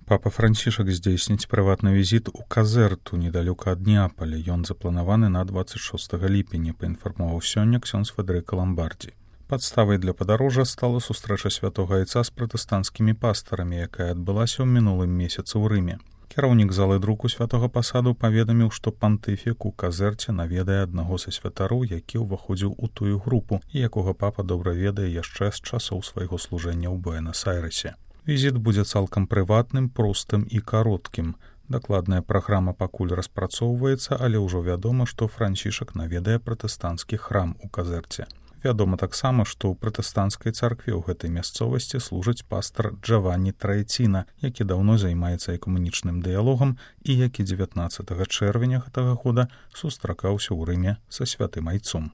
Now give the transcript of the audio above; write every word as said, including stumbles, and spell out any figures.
Папа Францішак здзейсніць прыватны візіт у Казэрту недалёка ад Неаполя. Ён запланаваны на дваццаць шостага ліпеня, паінфармаваў сёння ксёндз Федэрыка Ламбардзі. Падставай для падарожжа стала сустрэча святога айца з пратэстанцкімі пастарамі, якая адбылася ў мінулым месяцы ў Рыме. Кіраўнік залы друку святога пасаду паведаміў, што пантыфік у Казэрце наведае аднаго са святароў, які ўваходзіў у тую групу і якога папа добра ведае яшчэ з часоў свайго служэння ў Буэнас-Айрэсе. Візіт будзе цалкам прыватным, простым і кароткім. Дакладная праграма пакуль распрацоўваецца, але ўжо вядома, што Францішак наведае пратэстанцкі храм у Казэрце. Вядома таксама, што ў пратэстанцкай царкве ў гэтай мясцовасці служыць пастар Джаванні Траэціна, які даўно займаецца экумэнічным дыялогам і які дзевятнаццатага чэрвеня гэтага года сустракаўся ў Рыме са святым айцом.